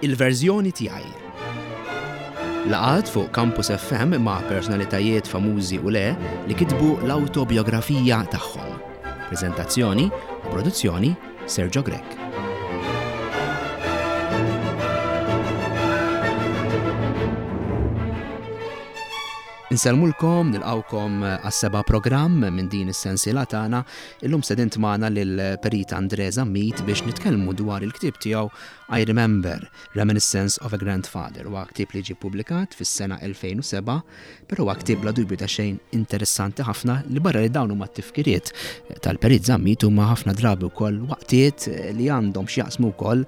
Il-verżjoni tiegħi. Laqgħat fuq Campus FM ma' personalitajiet famużi u le li kitbu l-awtobiografija tagħhom. Preżentazzjoni u produzzjoni Sergio Grech. Insellmulkom, nilqawkom għas-seba' programm minn din is-sensiela tagħna. Illum sedint magħna lil Perit Andre Zammit biex nitkellmu dwar il-ktieb tiegħu I Remember, Reminiscence of a Grandfather. Huwa ktieb li ġie ppubblikat fis-sena 2007, però huwa ktieb bla dubju ta' xejn interessanti ħafna li barra li dawn huma t-tifkiriet tal-Perit Zammit huma ħafna drabi wkoll waqtiet li għandhom x'jaqsmu wkoll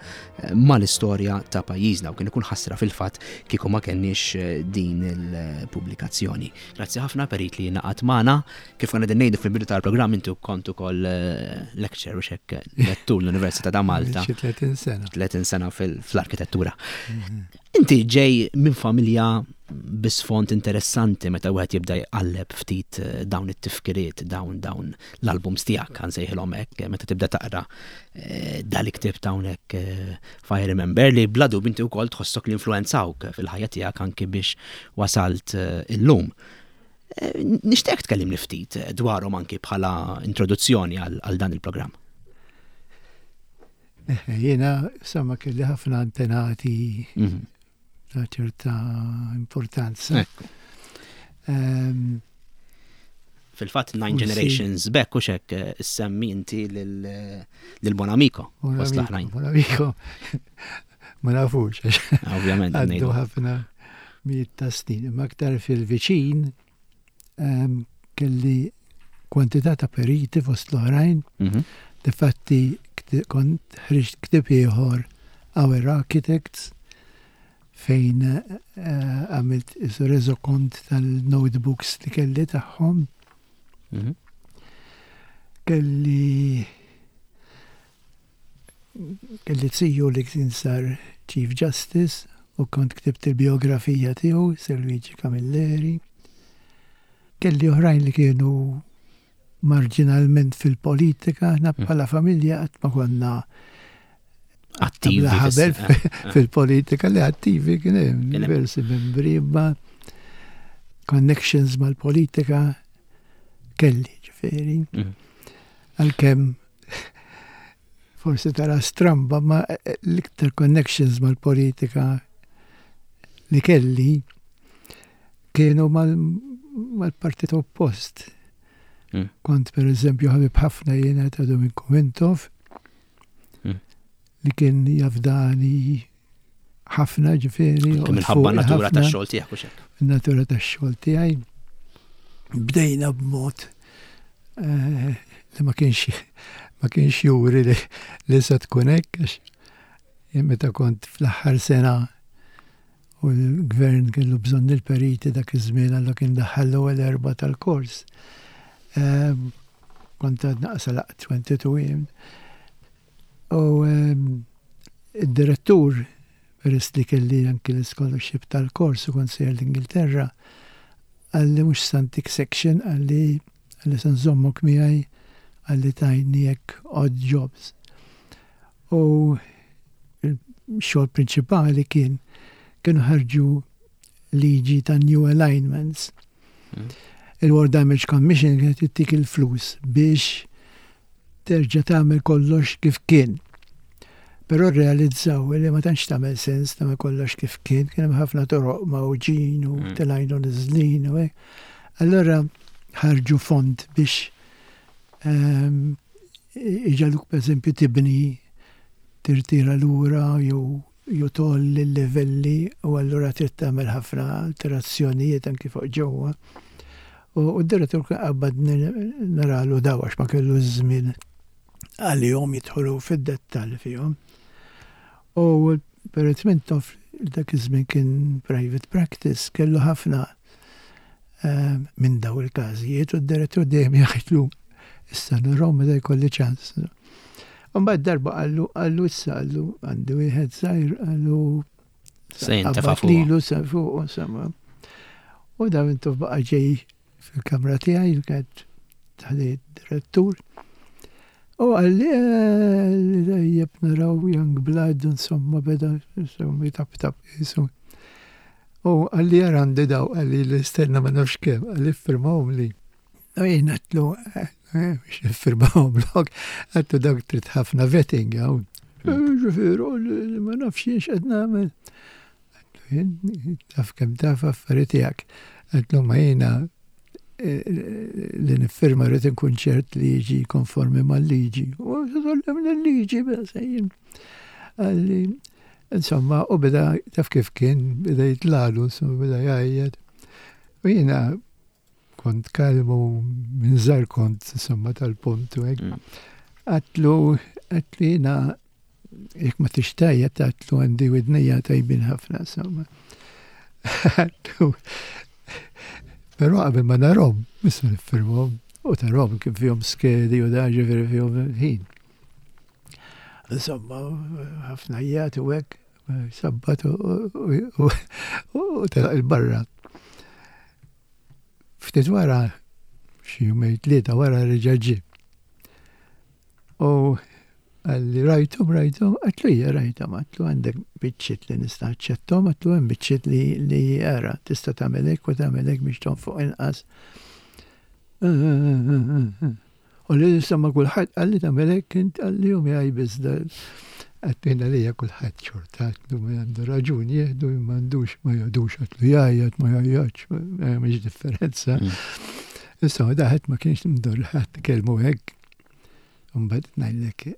mal-istorja ta' pajjiżna u kien ikun ħasra fil-fatt kieku ma kenniex eh, din il-pubblikazzjoni. Grazzi ħafna Perit li naqat magħna. Kif konna qegħdin ngħidu fil-bidu tal-programm inti kont ukoll eh, lecture u xekk lettur l-Università ta' Malta. Xi 30 sena. 30 sena fl-arkitettura. Mhm. Inti ġej minn familja bi sfond interessanti meta wieħed jibda jqalleb ftit eh, dawn it-tifkiriet, dawn dawn l-albums tiegħek kan sejħilhom hekk, eh, meta tibda taqra eh, dal-iktib ta' hawnhekk Fire Remember li bla dubju inti wkoll tħossok li influenzawk fil-ħajja tiegħek anki biex wasalt illum. Nixtieq tkellimni ftit dwarhom anki bħala introduzzjoni għal dan il-programm. Eh, jiena, insomma, kelli ħafna antenati mhm. ta' ċerta importanza. Ehm, Fil-fatt, Nine Generations Back u xek eh, semmi inti lil-Bonamico. Bonamico, ma nafux. Ovvjament. Għaddu ħafna miet ta' snin. Ma aktar fil-viċin, ehm, kelli kwantità ta' periti fost l-oħrajn. Mhm. Difatti kont ħriġt ktieb ieħor Our Architects fejn eh, għamilt isu reżokont tal-notebooks li kelli tagħhom. Mhm. Kelli Kelli ziju li kien sar Chief Justice u kont ktibt il-biografija tiegħu, Sir Luigi Camilleri. Kelli oħrajn li kienu marġinalment fil-politika, aħna hmm. bħala familja qatt ma konna attivi ħabel fil-politika li attivi kien hemm diversi membri imma connections mal-politika kelli ġifieri. Hmm. Għalkemm forsi tara stramba ma l-iktar connections mal-politika li kelli kienu mal-partit oppost. Hmm. Kont per eżempju ħabib ħafna jiena ta' Dominku Mintoff hmm. li kien jafdani ħafna ġifieri. Minħabba natura tax-xogħol tiegħek u xek. Natura tax-xogħol tiegħi. Bdejna b'mod eh, li ma kienx ma kienx juri li, li se tkun hekk għax meta kont fl-aħħar sena u l-gvern kellu bżonn il-periti dak iż-żmien għallu kien daħħal l-ewwel erba' tal-kors. Ehm, kont għad naqsa laq 22 jiem. U ehm, id-direttur, peress li kelli anki l-scholarship tal-kors u kont sejjer l-Ingilterra, qalli mhux se ntik section, qalli qalli se nżommok miegħi, qalli tgħinni hekk odd jobs. U x-xogħol prinċipali kien kienu ħarġu liġi ta' new alignments. Hmm. Il-War Damage Commission kienet ittik il-flus biex terġa' tagħmel kollox kif kien. Però rrealizzaw li ma tantx tagħmel sens tagħmel kollox kif kien, kien hemm ħafna toroq mgħawġin u mm. telgħin u niżlin u hekk. Allura ħarġu fond biex ehm, iġaluk pereżempju tibni tirtira lura jew jew tgħolli l-livelli u allura trid tagħmel ħafna alterazzjonijiet anki fuq ġewwa. U d-direttur kien qabbadni naralu daw għax ma kellu żmien għalihom jidħlu fid-dettall fihom. U Perit Mintoff dak iż-żmien kien private practice, kellu ħafna eh, minn daw il-każijiet u d-direttur dejjem jgħidlu issa nurhom meta jkolli ċans. Mbagħad darba qallu qallu issa qallu għandi wieħed żgħir qallu Se jintefa' fuq. Lilu se fuq insomma. U da intu baqa' ġej fil-kamra tiegħi li kienet taħdej direttur. U qalli, tajjeb naraw young blood, insomma, beda, insomma, jitaptap, jisu. U qalli jara għandi daw, qalli l-istenna ma nafx kemm, qalli firmahom li. U jien għedtlu, biex niffirmahom lok, għedtlu dawk trid ħafna vetting, għaw. Ġifieri, ma nafx jien x'qed nagħmel. Għedtlu jien, taf kemm taf affarijiet tiegħek. Għedtlu ma jiena li niffirma rrid inkun ċert li jiġi konformi mal-liġi. U l-liġi, sejjin. Għalli, insomma, u beda taf kif kien, beda jitlalu, insomma, beda jgħajjed. U jiena kont kalmu minn żar kont, insomma, tal-punt u hekk. Għatlu, għatlu jiena jekk ma tixtajja għatlu għandi widnija tajbin ħafna, insomma. Għatlu, però qabel ma narhom, issa niffirmhom u tarhom kif fihom skedi u da ġifieri fihom ħin. Insomma, ħafna jgħat u hekk, sabbat u telaq il-barra. Ftit wara, xi jumejn tlieta wara reġa' ġie. U qalli rajthom, rajthom, għedtlu ija rajthom, għedtlu għandek biċċiet li nista' naċċetthom, għedtlu hemm biċċiet li li ara tista' tagħmel hekk u tagħmel hekk biex tonfoq inqas. U li insomma kulħadd qalli tagħmel hekk int qalli u miegħi biss Għedtlu jien għalija kulħadd xorta, għedtlu min għandu raġun jieħdu, min m'għandux ma jieħdux, għedtlu jgħajjat ma jgħajjatx, ma jagħmilx differenza. Insomma, daħet ma kienx mdur ħadd kelmu hekk. Mbagħad ngħidlek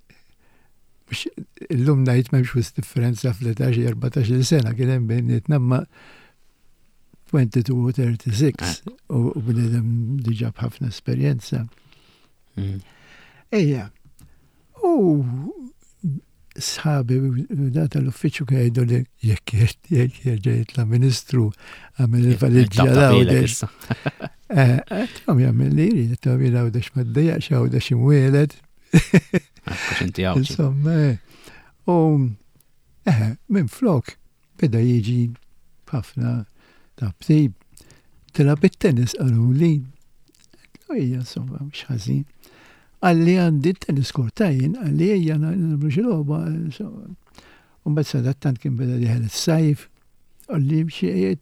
mhux illum ngħid m'hemmx wisq differenza fl-età xi 14-il sena kien hemm bejnietna imma 22 u 36 u bniedem diġà b'ħafna esperjenza. Mm. Ejja, u sħabi da tal-uffiċċju kien jgħidu li jekk jekk jerġa' jitla' ministru għamel il-valiġġa l-għawdex. Eh, għedthom jagħmel li jrid, għedthom jien għawdex ma ddejjaqx għawdex imwieled. Insomma, eh. u eh, minn flok Beda jiġi b'ħafna tabtib. Tilgħab it-tennis qaluli. Għedtlu ejja insomma mhux ħażin. Qalli għandi t-tennis court ta' jien, qalli ejja nagħmlu xi logħba. U mbagħad sadattant kien beda dieħel is-sajf. Qalli xi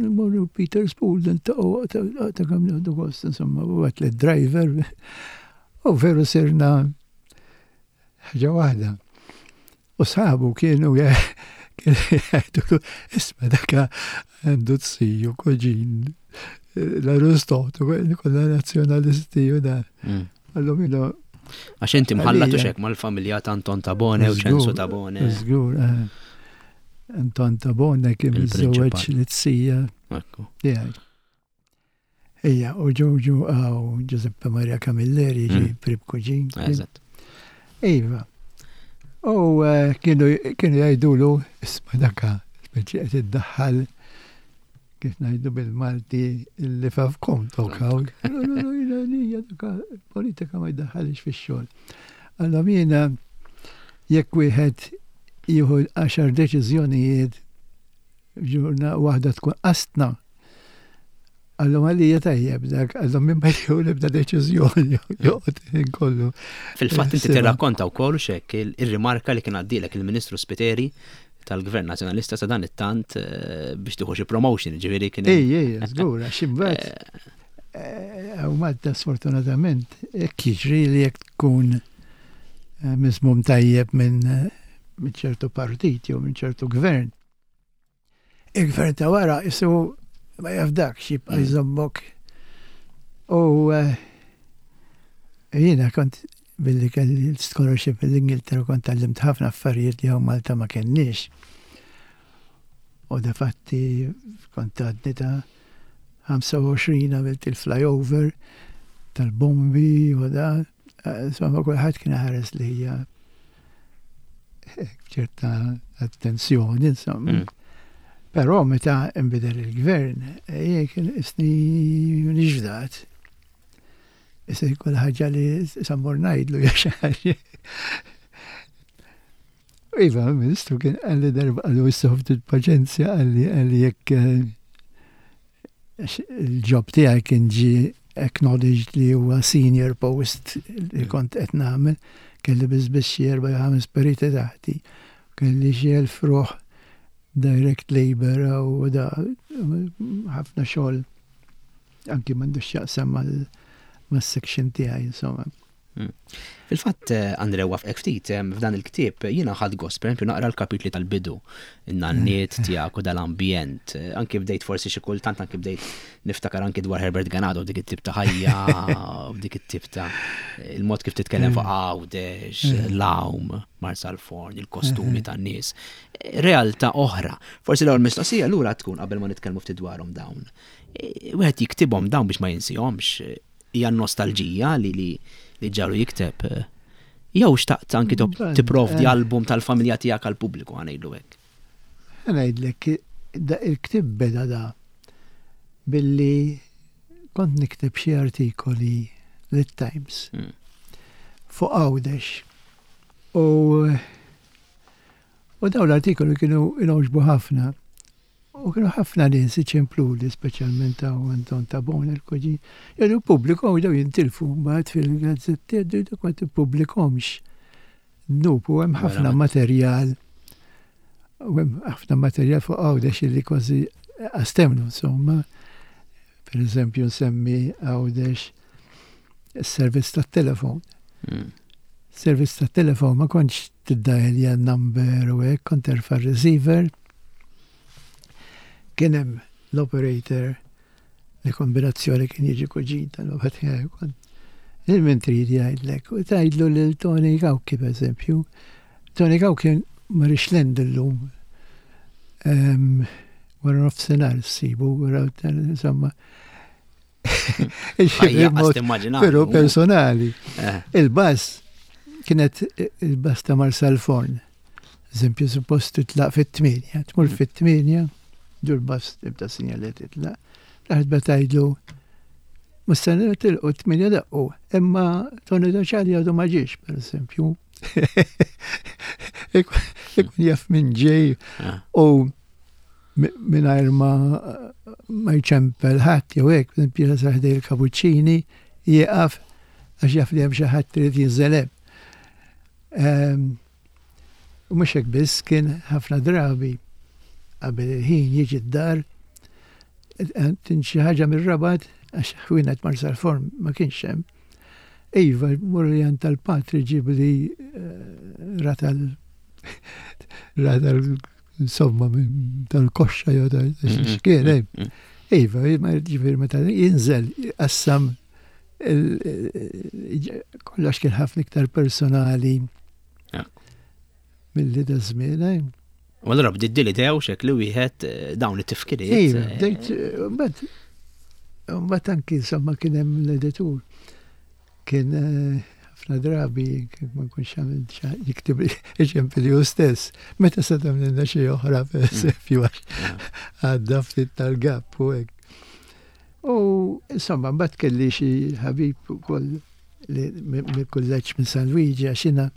mmorru Peter's Pool niltaqgħu ta' kemm nieħdu gost insomma u għedt driver U veru sirna ħaġa waħda. U sħabu kienu jgħidulu, isma' daka għandu t-siju koġin l-Aristotu, kollha nazzjonalisti u da. Mm. Għallum jino. Għax inti mħallat u xek mal-familja ta' Anton Tabone u Ċensu Tabone. Żgur, eh. Anton Tabone kien miżżewweġ li t-sija. Ejja, u ġoġu għaw Giuseppe Maria Camilleri ġi mm. prib kuġin. Eżatt. Iva. U eh, kienu jgħidulu, isma daka, speċi qed iddaħħal kif ngħidu bil-Malti li fafkom tokaw. Politika ma jdaħħalix fix-xogħol. Allora jiena jekk wieħed jieħu għaxar deċiżjonijiet ġurna waħda tkun qastna Għallhom għalija tajjeb dak, għallhom minn ma jieħu l-ebda deċiżjoni joqgħod ħin kollu. Fil-fatt inti tirrakkonta wkoll xek ir-rimarka li kien għaddilek il-Ministru Spiteri tal-Gvern Nazzjonalista sa dan it-tant eh, biex tieħu xi promotion, ġifieri kien. Ej, ej, żgur, għax imbagħad eh, hawn Malta sfortunatament hekk jiġri li jekk tkun eh, miżmum tajjeb minn ċertu partit jew minn ċertu gvern. Il-gvern ta' wara isu ma jafdakx jibqa' mm. jżommok. U eh, jiena kont billi kelli l-scholarship l-Ingilterra kont tallimt ħafna affarijiet li hawn Malta ma kenniex. U da fatti kont għadni ta' 25 għamilt il-flyover tal-bombi u da. Eh, insomma, kulħadd kien ħares li hija ċerta attenzjoni, insomma. Mm. Però meta nbidel il-gvern, eh, kien isni nixfdat. Issa kull ħaġa li sammur ngħidlu jew Iva, ministru kien għalli darba għallu issa ftit paċenzja għalli għalli jekk eh, il-ġob tiegħi kien ġi acknowledged li huwa senior post li mm. kont qed nagħmel, kelli biss biss xi erba' ħames periti taħti, kelli xi elf ruħ direct labor u da ħafna xogħol anki m'għandux x'jaqsam mal-section tiegħi insomma. Hmm. Fil-fatt, eh, Andre, wafqek ftit, eh, f'dan il-ktieb jiena ħadd gost, per naqra l-kapitli tal-bidu, in-nanniet tiegħek u dal-ambjent. Eh, anki bdejt forsi xi kultant anki bdejt niftakar anki dwar Herbert Ganado dik it-tip ta' ħajja, dik it-tip ta' il-mod kif titkellem fuq Għawdex, l-għawm, Marsalforn, il-kostumi tan-nies. Realtà oħra. Forsi l-ewwel mistoqsija lura tkun qabel ma nitkellmu ftit dwarhom dawn. Wieħed jiktibhom dawn biex ma jinsihomx hija n-nostalġija li li li ġaru jikteb. Jew xtaqt anki tipprovdi eh. album tal-familja tiegħek għall-pubbliku ħanejlu hekk. Ngħidlek il-ktieb beda da billi kont nikteb xi artikoli lit-Times hmm. fuq Għawdex. U u dawn l-artikoli kienu inogħġbu ħafna. U kienu ħafna nies iċempluli, speċjalment hawn Anton Tabone il-kuġin, jgħidu ppubblikhom daw jintilfu mbagħad fil-gazzetti jgħidu dak ma tippubblikhomx. Dnub u hemm ħafna materjal u hemm ħafna materjal fuq Għawdex li kważi astemnu insomma. Per eżempju nsemmi Għawdex is-servizz tat-telefon. Hmm. Servizz tat-telefon ma kontx tiddajelja number u hekk, kont terfa' receiver Kien hemm l-operator li kombinazzjoni kien jiġi kuġin tal-baba tiegħi kont. Lil min trid jgħidlek u tgħidlu lil Tony Gawki pereżempju. Tony Gawki ma rix lend illum. Ehm, wara nofsinhar ssibu, wara insomma. Pero personali. Eh. Il-bass kienet il-bass ta' Marsalforn. Eżempju, suppost titlaq fit-tmienja, tmur mm. fit-tmienja, dur bass tibda sinjal li titlaq. Laħt betajdlu, mustenna tilqu t-tmienja daqqu, imma Tony Doċali għadu ma ġiex, per eżempju. Ikun jaf minn ġej ah. u mingħajr ma ma jċempel ħadd jew hekk, pereżempju sa ħdej il-kapuċċini jieqaf għax jaf li hemm xi ħadd irid jinżel hemm. Ehm, u mhux hekk biss kien ħafna drabi qabel il-ħin jiġi d-dar tin xi ħaġa mir-Rabat għax ħwienet Marsalforn ma kienx hemm. Iva, mur tal-patri ġibli eh, ratal ratal insomma tal-koxxa jew ta' x'kien hemm. Eh. Mm, mm. Iva, ma ġifieri meta jinżel qassam kollox kien ħafna iktar personali milli da żmien. Eh. U allura bdiet din l-idea u xek li wieħed eh, dawn it-tifkiriet. Iva, bdejt, mbagħad mbagħad anki insomma kien hemm l-editur. Kien ħafna drabi ma nkunx għamilt jiktib iċempili hu stess. Meta se tagħmlilna xi oħra pereżempju għax għadda ftit tal-gap u hekk. U insomma mbagħad kelli xi ħabib ukoll li mill-kulleġġ minn San Luigi għax jiena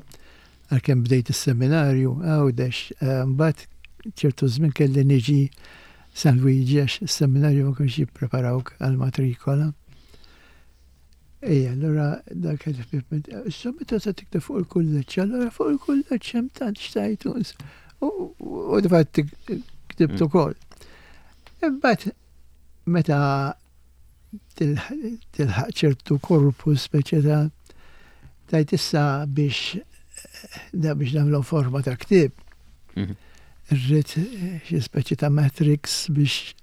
għalkemm bdejt is-seminarju Għawdex, eh, mbagħad ċertu żmien kelli niġi San Luigi għax is-seminarju ma kienx jippreparawk għall-matrikola. Ejja, allura dak il-ħbieb issa meta se tikteb fuq il-kulleġġ, allura fuq il-kulleġġ hemm tant xtajtu. U difatt ktibt mm. ukoll. Imbagħad meta tilħaq ċertu korpus speċi ta' tajt issa biex da biex nagħmlu forma ta' ktieb. Mhm. Irrid xi speċi ta' matrix biex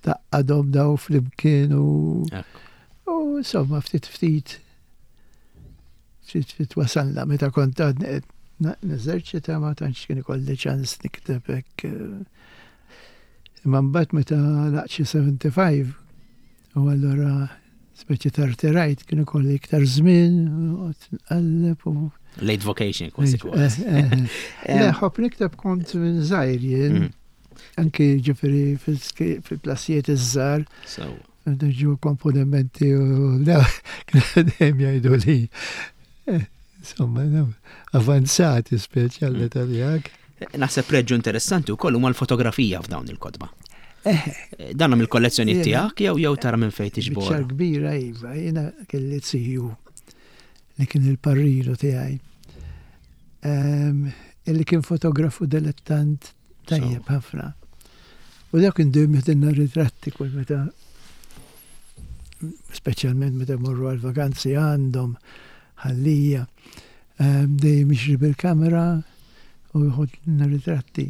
taqqadhom daw flimkien u u insomma ftit ftit ftit ftit wasalna meta kont għadni neżerċita ma tantx kien ikolli ċans nikteb hekk. Eh. Imma mbagħad meta laqt xi 75 u allura speċi tarterajt kien ikolli iktar żmien u nqalleb u Late vocation kważi kważi. Eh, eh, Le, ħobb nikteb kont minn żgħir jien. Mm. Anki ġifiri fil-klassijiet iż-żgħar. Ġu komponimenti u dejjem jgħidu li eh, insomma avanzati speċi għall-età tiegħek. Naħseb preġġu interessanti wkoll huma l-fotografija f'dawn il-kotba. Eh. Dan mill-kollezzjoni tiegħek jew jew tara minn fejn tiġbor? Biċċa kbira iva, jiena kelli ziju li kien il-parrinu tiegħi. Ehm, illi kien fotografu dilettant tajjeb ħafna. U dak kien dejjem jeħdilna ritratti kull meta speċjalment meta morru għal vakanzi għandhom ħallija. Ehm, dejjem jixri bil-kamera u jħodna ritratti.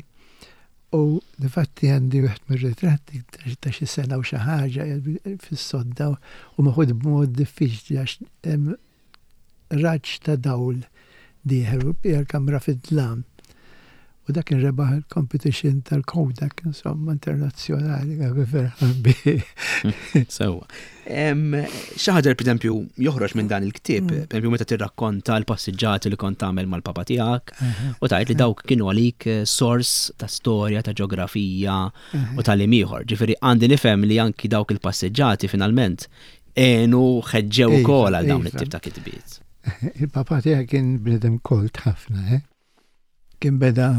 U difatti għandi wieħed mir-ritratti ta' xi sena u xi ħaġa fis-sodda u meħud b'mod diffiċli għax hemm raġġ ta' dawl dieħel u l-bqija l-kamra fid-dlam. U dak kien rebaħ il-competition tal-Kodak, insomma, internazzjonali, għabi ferħan bi. Sewa. Xi ħaġa li pereżempju joħroġ minn dan il-ktieb, mm. pereżempju meta tirrakkonta l-passiġġati li kont tagħmel mal-papa tiegħek u tgħid li dawk kienu għalik eh, sors ta' storja, ta' ġeografija u tal ieħor. Ġifieri għandi nifhem li anki dawk il-passiġġati finalment għenu ħeġġew iva, ukoll għal dawn iva. it-tip ta' kitbiet. Il-papa tiegħek kien bnedem kolt ħafna, eh? Kien beda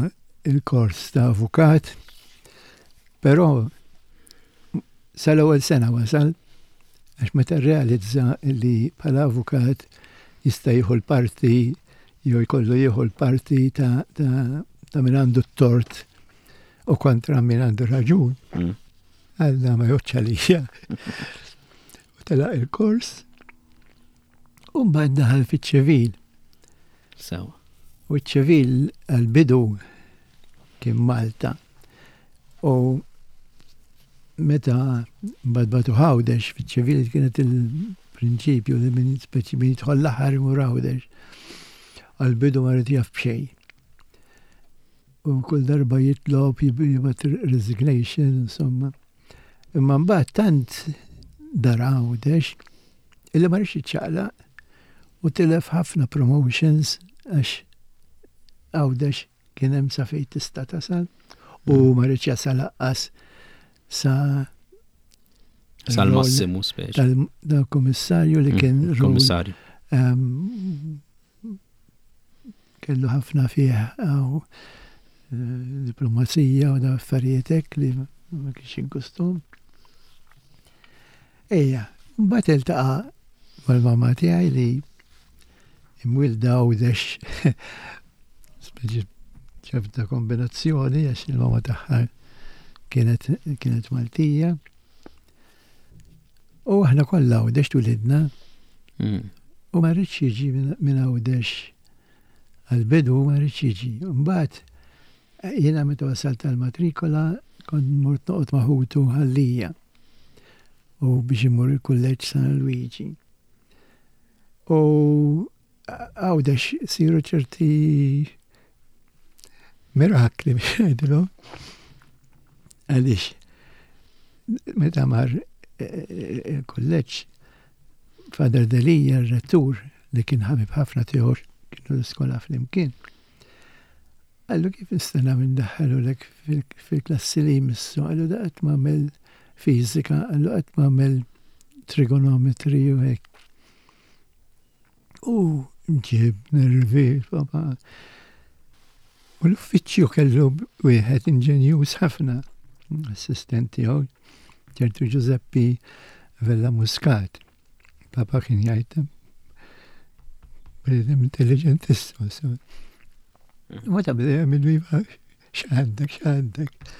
il-kors ta' avukat, però sal-ewwel sena wasal għax meta rrealizza li bħala avukat jista' jieħu l-parti jew jkollu jieħu l-parti ta', ta, ta min għandu t-tort u kontra min għandu raġun. Mm. Għalna ma joċċa lija. U telaq il-kors u mbagħad daħal fiċ-ċivil. Sewa. U ċ-ċivil għal-bidu kien Malta. U meta mbagħad batu Għawdex fiċ-ċivil kienet il-prinċipju li minn speċi min jidħol l-aħħar imur Għawdex. Għal-bidu ma rid jaf b'xejn. U kull darba jitlob jibgħat resignation, insomma. Imma mbagħad tant dar Għawdex illi ma rridx jiċċaqlaq u tilef ħafna promotions għax Għawdex kien hemm sa fejn tista' tasal u mm. ma rridx jasal aqqas sa sal-massimu speċi. Tal-komissarju li mm, kien Komissarju. Ehm, kellu ħafna fih għaw eh, diplomazija u da affarijiet hekk li ma kienx ingustum. Ejja, mbagħad iltaqa' mal-mamma tiegħi li imwilda għawdex speċi ċerta kombinazzjoni għax il-mamma tagħha kienet kienet Maltija. U aħna kollha Għawdex twilidna. Mm. U ma rridx jiġi minn Għawdex għal-bidu ma rridx jiġi. Mbagħad jiena meta wasalt tal-matrikola kont mort noqgħod ma' ħutu ħallija u biex imur il-kulleġġ San Luigi. U Għawdex siru ċerti mirakli biex ngħidilhom. Għaliex meta mar eh, eh, il-kulleġġ Father Delija r-rettur li kien ħabib ħafna tiegħu kienu l-iskola flimkien. Qallu kif nista' nagħmel ndaħħalulek fil-klassi li jmissu, qallu da qatt m'għamel fiżika, qallu qatt m'għamel trigonometri u hekk. U ġib nervi, papa. U l-uffiċċju kellu wieħed inġenjuż ħafna, assistent tiegħu, ċertu Giuseppe Vella Muscat. Papa kien jgħid bniedem intelligentissimu. Ma ta' bniedem il-viva x'għandek, x'għandek.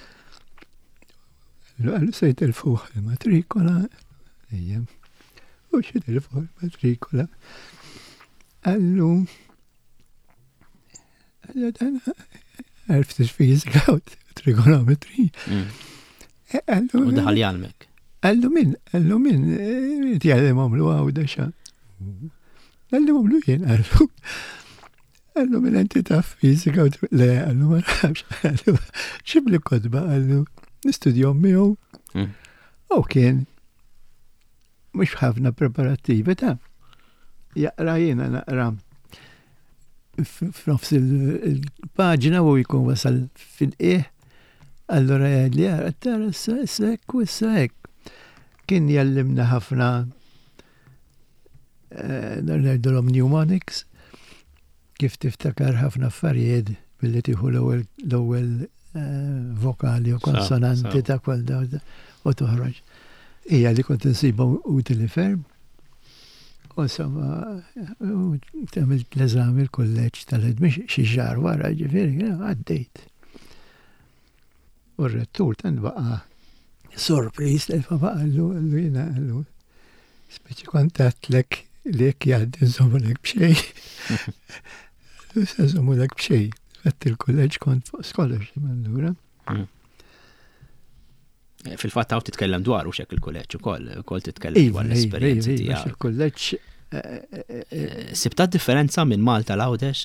Għallu se jitilfuh il-matrikola, ejjem, u x'jitilfuh il-matrikola. Għallu, għallu dan għarft fizika u trigonometri. Mm. Eh, u daħal jgħalmek. Għallu min, għallu min, eh, jgħallimhom lu għawda xa. Għallu għamlu jien, għallu. Għallu minn inti taf fizika u le, għallu ma nafx, għallu xibli kodba, għallu nistudjom miegħu. Mm. U kien mhux ħafna preparattivi ta' jaqra jiena naqra f'nofs il-paġna u jkun wasal fil-qieħ, allura jgħid li għara tara issa issa hekk u issa hekk. Kien jallimna ħafna eh, ngħidulhom mnemonics, kif tiftakar ħafna affarijiet billi tieħu l-ewwel vokali u konsonanti ta' kull u toħroġ. Hija li kont insibha utili ferm. U insomma, għamilt l-eżami l-kulleġġ tal-admission xi xahar wara, ġifieri, għaddejt. U r-rettur tant baqa' sorpriż li papa qallu qallu jiena qallu speċi kont għedtlek li jekk jgħaddi nżommulek b'xejn. Qallu se nżommulek b'xejn. Fatt il-kulleġġ kont fuq scholarship allura. Mm. Eh, fil-fatt hawn titkellem dwar u xek il-kulleġġ ukoll, ukoll titkellem iva, dwar iva, l-esperjenza iva, tiegħek. Il-kulleġġ eh, Sibta differenza minn Malta l-Għawdex?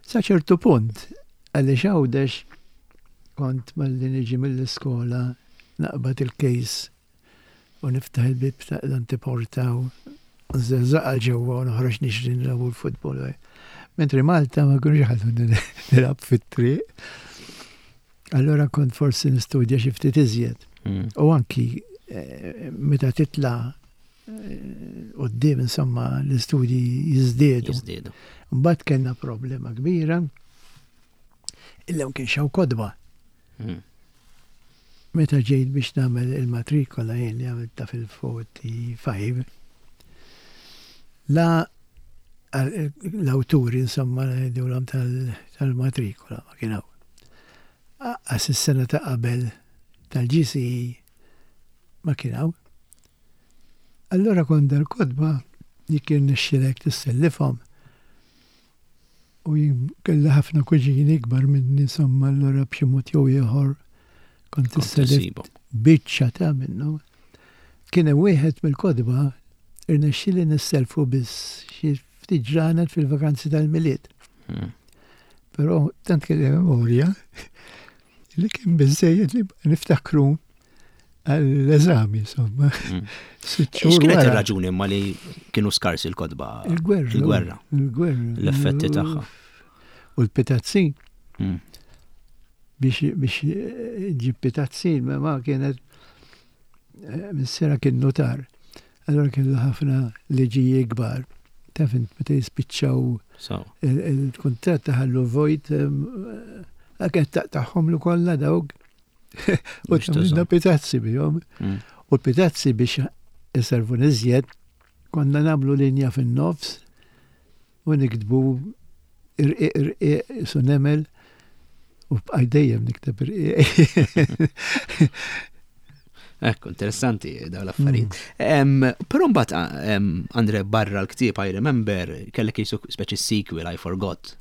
Sa ċertu punt, għaliex Għawdex kont malli niġi mill-iskola naqbad il-kejs u niftaħ il-bieb ta' l-antiporta u nżelżaq għal ġewwa u noħroġ nixri nilagħbu l-futbol. Mentri Malta ma kienux iħalluni nilgħab fit-triq. Allura kont forsi nistudja xi ftit iżjed. Mm. U anki eh, meta titla' eh, qoddim insomma l-istudji jiżdiedu. Jiżdiedu. Mbagħad kellna problema kbira illa ma kienx hawn kodba. Mm. Meta ġejt biex nagħmel il-matrikola jien li għamilta fil-45, la l-awturi insomma ngħidulhom tal-matrikola ma kien hawn. Aqqas is-sena ta' qabel tal-GCE ma kien hawn. Allura kont dal-kotba jekk irnexxilek tissellifhom u jien kelli ħafna kuġini ikbar minni insomma allura b'xi mod jew ieħor kont issellif biċċa ta' minnu. Kien hemm wieħed mill-kotba irnexxieli nisselfu biss xi ftit ġranet fil-vakanzi tal-Milied. Hmm. Però tant kelli memorja li kien biżejjed li niftakru għall-eżami, insomma. Hmm. X'kienet ir-raġuni ma li kienu skarsi l-kodba? Il-gwerra. Il-gwerra. Il-gwerra. L-effetti tagħha. U l-pitazzin. Hmm. Biex biex ġib pitazzin, ma kienet eh, missera kien notar. Allura kellu ħafna liġijiet kbar. Taf int meta jispiċċaw il-kuntratt taħallu vojt kienet taqtagħhomlu kollha dawk. U tagħmilna pitazzi bihom. Mm. U l-pitazzi biex iservu niżjed konna nagħmlu linja fin-nofs u niktbu irqiq irqiq su nemel u bqaj dejjem nikteb irqiq. Ekku, interessanti daw l-affarijiet. Mm. Però mbagħad Andre barra l-ktieb I remember kellek jisu speċi sequel I forgot.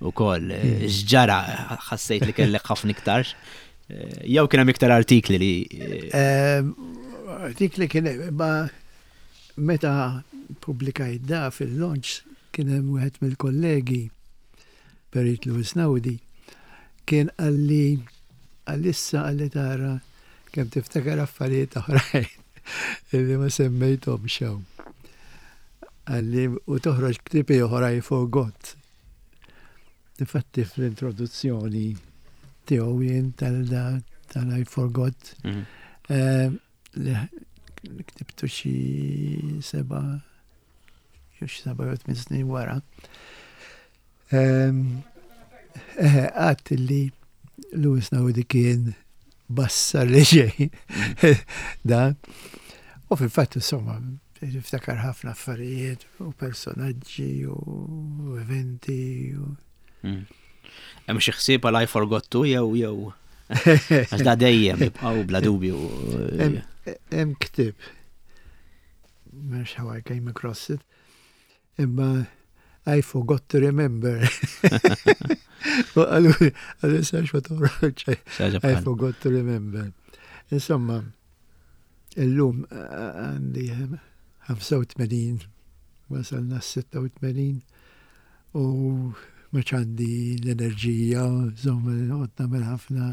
Ukoll eh, x'ġara ħassejt li kellek ħafna iktar. Eh, jew kien hemm iktar artikli li. Eh, artikli kien ma Meta ppubblikajt da fil-launch kien hemm wieħed mill-kollegi, Perit Louis Naudi, kien qalli għalissa qalli tara kemm tiftakar affarijiet oħrajn illi ma semmejthomx hawn. Qalli u toħroġ ktieb ieħor I forgot. Difatti fl-introduzzjoni tiegħu jien tal-da tal-I forgot. Mm. Eh, li ktibtu xi seba' jew xi seba' jew tmien snin wara. Ehm, eh, għadt li Lewis Naudi kien bassar li ġej da. U fil-fatt insomma, niftakar ħafna affarijiet u personaġġi u eventi. Mm. Hemm xi ħsieb għal I forgot to jew jew. Għax da dejjem jibqgħu bla dubju. Hemm ktieb. Mhux how I came across it. Imma I forgot to remember. U għalu, għalu sax ma toħroġ. I forgot to remember. Insomma, illum għandi 85, wasalna 86 U m'għadx għandi l-enerġija, insomma, noqgħod nagħmel ħafna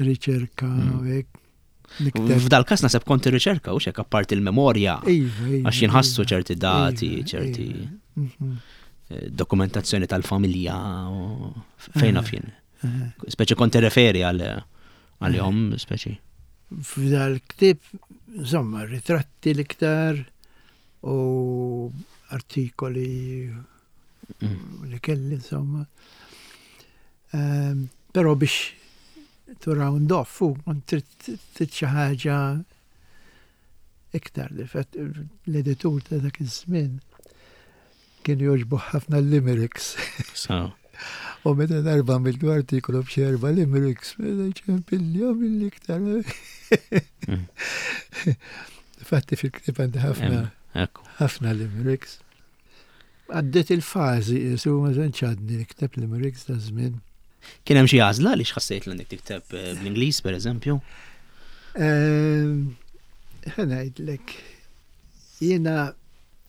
riċerka mm. u hekk. F'dal-kas naseb kont ir-riċerka u xek apparti il-memorja. Iva, iva, għax jinħassu iva. ċerti dati, iva, ċerti mhm. eh, dokumentazzjoni tal-familja fejn naf jien. Speċi kont referi għal għalihom speċi. F'dal-ktib, insomma, ritratti l-iktar, u artikoli mm. li kelli insomma. Ehm, però biex to round off, u trid xi ħaġa iktar li l-editur ta' dak iż-żmien kien jogħġbu ħafna l-limericks. U meta darba għamiltu artikolu b'xi erba' limericks, meta ċempilli għamilli iktar. Mm. Fatti fil-ktib għandi ħafna ħafna limericks. Għaddiet il-fażi, jisu ma tantx għadni nikteb limericks da żmien. Kien hemm xi għażla għaliex ħassejt li għandek tikteb eh, bl-Ingliż pereżempju? Ehm, ħa ngħidlek, jiena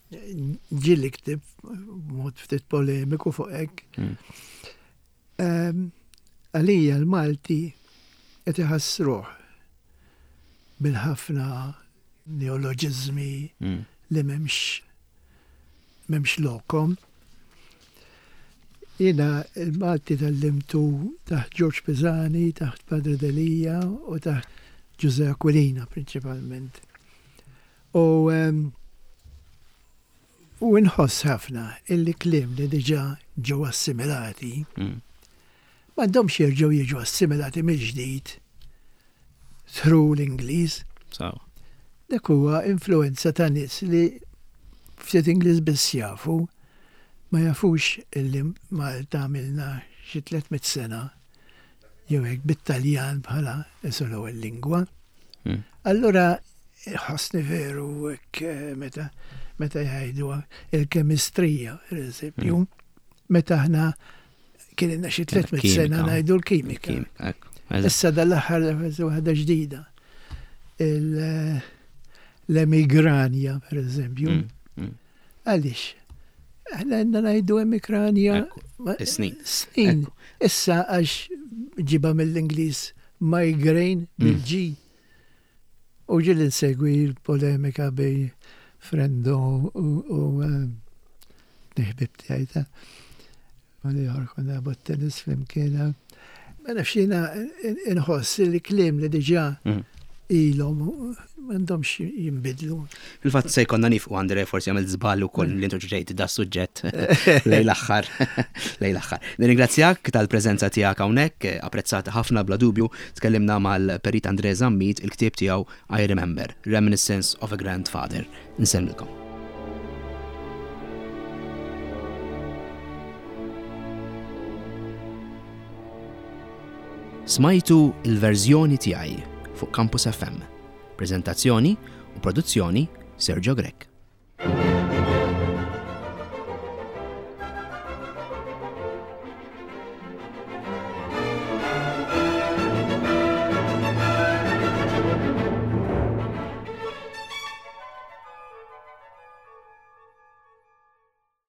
ġieli ktib mod ftit polemiku fuq hekk. Hmm. Ehm, għalija l-Malti qed iħassruh bil-ħafna neoloġiżmi hmm. li m'hemmx m'hemmx lokom. Jiena l-Malti tgħallimtu taħt Ġorġ Pisani, taħt Padre Delia u taħt Ġużè Aquilina prinċipalment. U ehm, u nħoss ħafna illi kliem li diġà ġew assimilati mm. m'għandhomx jerġgħu jiġu assimilati mill-ġdid through l-Ingliż. Dak huwa influenza ta' nies li ftit Ingliż biss jafu, ma jafux illi Malta għamilna xi 300 sena jew hekk bit-Taljan bħala isu l-ewwel lingwa. Hmm. Allura ħossni veru hekk eh, meta meta jgħidu il-kemistrija, per eżempju, hmm. meta aħna Kien ilna xi 300 sena ngħidu l-kimika. Issa dal-aħħar waħda ġdida. L-emigranja, per eżempju. Mm, mm. Għaliex? Aħna għandna ngħidu emigranja. Snin. Snin. Issa għax ġiba mill-Ingliż migraine mm. bil-G. U ġieli nsegwi l-polemika bejn Frendo u eh, ħbib tiegħi ta' u l-ieħor konna nilagħbu t-tennis flimkien. Ma nafx jiena inħoss li kliem li diġà mm. ilhom m'għandhomx jinbidlu. Fil-fatt se jkollna nifqu Andre forsi għamilt żball ukoll li introduċejt da suġġett lejn l-aħħar. Lejn l-aħħar. Nirringrazzjak tal-preżenza tiegħek hawnhekk, apprezzata ħafna bla dubju. Tkellimna mal-Perit Andre Zammit il-ktieb tiegħu I Remember, Reminiscence of a Grandfather. Nsellmilkom. Smajtu il-verżjoni tiegħi fuq Campus FM. Preżentazzjoni u produzzjoni Sergio Grech.